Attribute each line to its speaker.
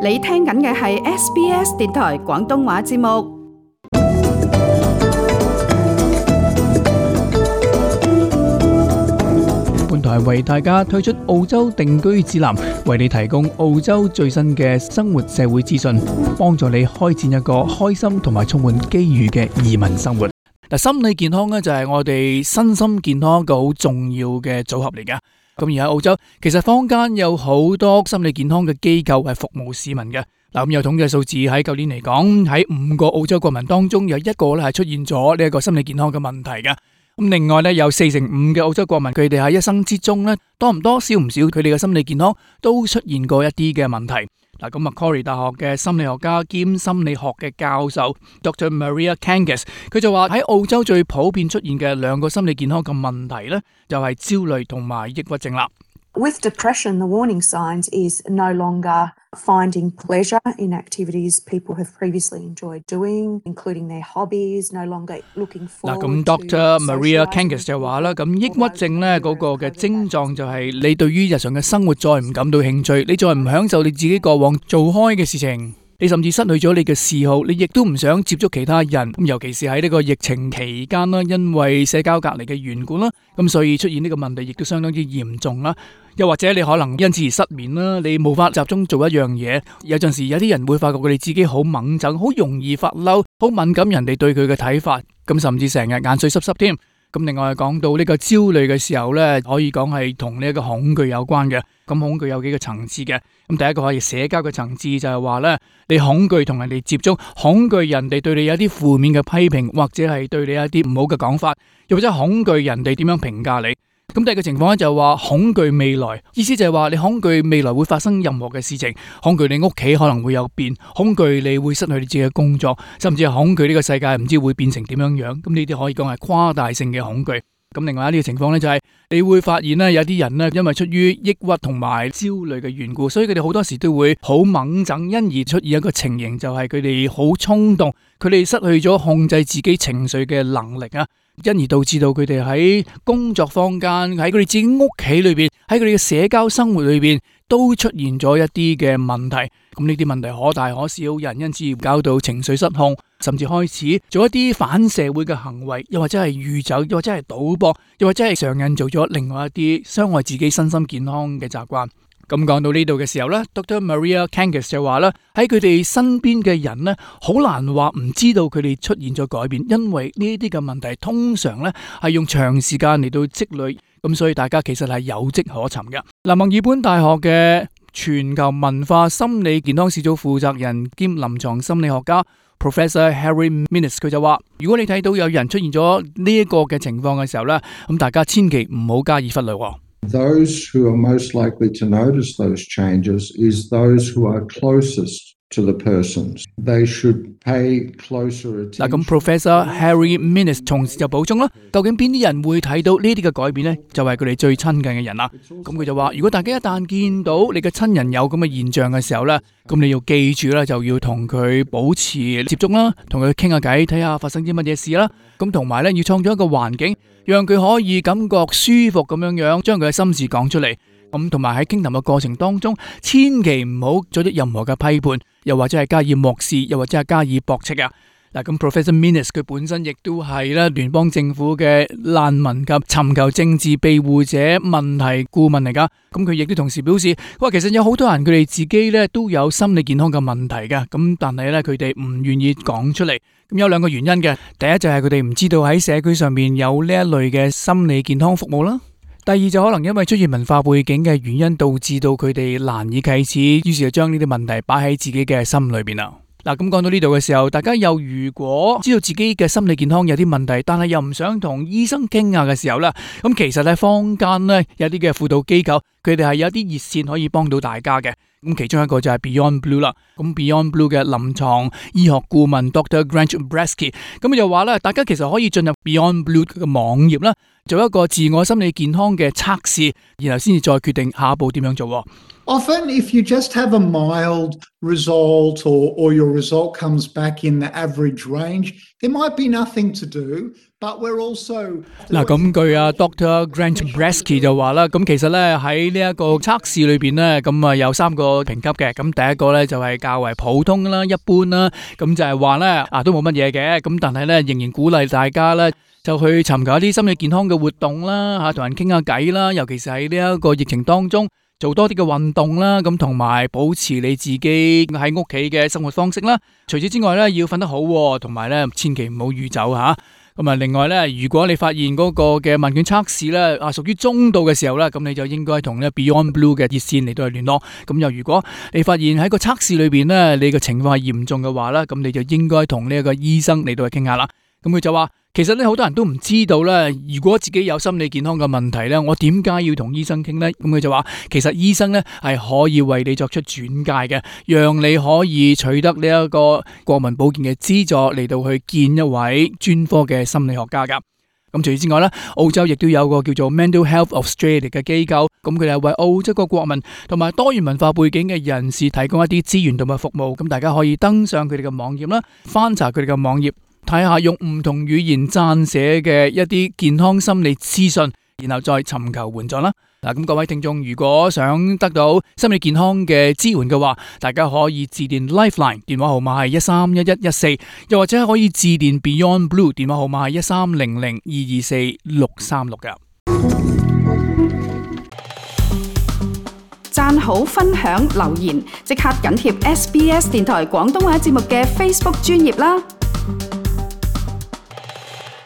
Speaker 1: 你聽緊嘅係 SBS 電台廣東話節目。
Speaker 2: 本台為大家推出澳洲定居指南，為你提供澳洲最新嘅生活社會資訊，幫助你開展一個開心同埋充滿機遇嘅移民生活。嗱，心理健康咧就係我哋身心健康一個好重要嘅組合嚟㗎。咁而喺澳洲，其實坊間有好多心理健康嘅機構係服務市民嘅。嗱，咁有統計數字喺舊年嚟講，喺5個澳洲國民當中有1個咧係出現咗呢一個心理健康嘅問題嘅。咁另外咧有45%嘅澳洲國民，佢哋喺一生之中咧多唔多少唔少，佢哋嘅心理健康都出現過一啲嘅問題。嗱，咁Macquarie大學嘅心理學家兼心理學嘅教授 Dr. Maria Kangas， 佢就話喺澳洲最普遍出現嘅2個心理健康嘅問題咧，就係焦慮同埋抑鬱症啦。
Speaker 3: With depression, the warning signs is no longer finding pleasure in activities people have previously enjoyed doing, including their hobbies, no longer looking forward to socializing.
Speaker 2: 咁 Dr. Maria Kangas 就話啦，咁抑鬱症咧嗰個嘅症狀就係你對於日常嘅生活再唔感到興趣，你再唔享受你自己過往做開嘅事情。你甚至失去咗你嘅嗜好，你亦都唔想接觸其他人，尤其是喺呢個疫情期間啦，因為社交隔離嘅緣故啦，咁所以出現呢個問題亦都相當之嚴重啦。又或者你可能因此而失眠啦，你無法集中做一樣嘢。有陣時有啲人會發覺佢哋自己好猛憎，好容易發嬲，好敏感人哋對佢嘅睇法，咁甚至成日眼水濕濕添。咁另外講到呢個焦慮嘅時候呢，可以講係同呢一個恐懼有關嘅。咁恐懼有幾個層次嘅。咁第一個可以社交嘅層次就係話呢，你恐懼同人哋接觸，恐懼人哋對你有啲負面嘅批評，或者係對你有啲唔好嘅講法，又或者恐懼人哋點樣評價你。咁第二個情況咧就係話恐懼未來，意思就係話你恐懼未來會發生任何嘅事情，恐懼你屋企可能會有變，恐懼你會失去你自己嘅工作，甚至係恐懼呢個世界唔知會變成點樣樣。咁呢啲可以講係誇大性嘅恐懼。咁另外一啲情況咧就係你會發現咧有啲人咧因為出於抑鬱同埋焦慮嘅緣故，所以佢哋好多時都會好猛憎，因而出現一個情形就係佢哋好衝動，佢哋失去咗控制自己情緒嘅能力啊。因而導致到佢哋喺工作坊間，喺佢哋自己屋企裏邊，喺佢哋嘅社交生活裏邊，都出現咗一啲嘅問題。咁呢啲問題可大可小，有人因此而搞到情緒失控，甚至開始做一啲反社會嘅行為，又或者係酗酒，又或者係賭博，又或者係上癮做咗另外一啲傷害自己身心健康嘅習慣。咁講到呢度嘅時候呢 Dr. Maria Kangas 就話啦，喺佢哋身邊嘅人呢，好難話唔知道佢哋出現咗改變，因為呢啲嘅問題通常呢係用長時間嚟到積累，咁所以大家其實係有跡可尋嘅。墨爾本大學嘅全球文化心理健康小組負責人兼臨床心理學家 Professor Harry Minnis 佢就話，如果你睇到有人出現咗呢一個嘅情況嘅時候呢，咁大家千祈唔好加以忽略。
Speaker 4: Those who are most likely to notice those changes is those who are closest to the persons. They should pay closer attention.
Speaker 2: 嗱，咁 Professor Harry Minnis 同時就補充啦，究竟邊啲人會睇到呢啲嘅改變呢？就係佢哋最親近嘅人啦。咁佢就話，如果大家一旦見到你嘅親人有咁嘅現象嘅時候呢，咁你要記住啦，就要同佢保持接觸啦，同佢傾下偈，睇下發生啲乜嘢事啦。咁同埋呢，要創造一個環境，讓佢可以感覺舒服咁樣樣，將佢嘅心事講出嚟。咁同埋喺傾談嘅過程當中，千祈唔好作出任何嘅批判，又或者係加以漠視，又或者係加以駁斥啊。嗱，咁 Professor Minnis 佢本身亦都係咧聯邦政府嘅難民及尋求政治庇護者問題顧問嚟噶。咁佢亦都同時表示，佢話其實有好多人佢哋自己咧都有心理健康嘅問題嘅，咁但係咧佢哋唔願意講出嚟。咁有2個原因嘅，第一就係佢哋唔知道喺社區上面有呢一類嘅心理健康服務啦。第二就可能因為出現文化背景嘅原因，導致到佢哋難以啟齒，於是就將呢啲問題擺喺自己嘅心裏邊啦。嗱，咁講到呢度嘅時候，大家又如果知道自己嘅心理健康有啲問題，但係又唔想同醫生傾下嘅時候呢，咁其實喺坊間呢，有啲嘅輔導機構，佢哋係有啲熱線可以幫到大家嘅。咁其中一個就係 Beyond Blue 啦。咁 Beyond Blue 嘅臨床醫學顧問 Dr. Grant Bresky， 咁就話咧，大家其實可以進入 Beyond Blue 嘅網頁啦，做一個自我心理健康嘅測試，然後先至再決定下一步點樣做。
Speaker 5: Often, if you just have a mild result or your result comes back in the average range, there might be nothing to do. but we're also
Speaker 2: 嗱，咁據啊 Dr. Grant Bresky 就話啦，咁其實咧喺呢一個測試裏邊咧，咁啊有3個評級嘅，咁第一個咧就係較為普通啦、一般啦，咁就係話咧都冇乜嘢嘅，咁但係咧仍然鼓勵大家咧就去尋求一啲心理健康嘅活動啦，同人傾下偈啦，尤其是喺呢一個疫情當中。做多啲嘅運動啦，咁同埋保持你自己喺屋企嘅生活方式啦。除此之外咧，要瞓得好，同埋咧千祈唔好酗酒吓。咁啊，另外咧，如果你發現嗰個嘅問卷測試咧屬於中度嘅時候咧，咁你就應該同咧 Beyond Blue 嘅熱線嚟到去聯絡。咁又如果你發現喺個測試裏邊咧，你嘅情況係嚴重嘅話咧，咁你就應該同呢一個醫生嚟到去傾下啦。咁佢就話。其實咧，好多人都唔知道咧，如果自己有心理健康嘅問題咧，我點解要同醫生傾呢？咁佢就話，其實醫生咧係可以為你作出轉介嘅，讓你可以取得呢一個國民保健嘅資助嚟到去見一位專科嘅心理學家噶。咁除此之外咧，澳洲亦都有個叫做 Mental Health Australia 嘅機構，咁佢哋係為澳洲個國民同埋多元文化背景嘅人士提供一啲資源同埋服務。咁大家可以登上佢哋嘅網頁啦，翻查佢哋嘅網頁。睇下用唔同語言撰寫嘅一啲健康心理資訊，然後再尋求援助啦。嗱，咁各位聽眾，如果想得到心理健康嘅支援嘅話，大家可以致電 Lifeline 電話號碼係131114，又或者可以致電 Beyond Blue 電話號碼係1300224636嘅。
Speaker 1: 讚好、分享、留言，即刻緊貼SBS 電台廣東話節目嘅 Facebook 專頁啦！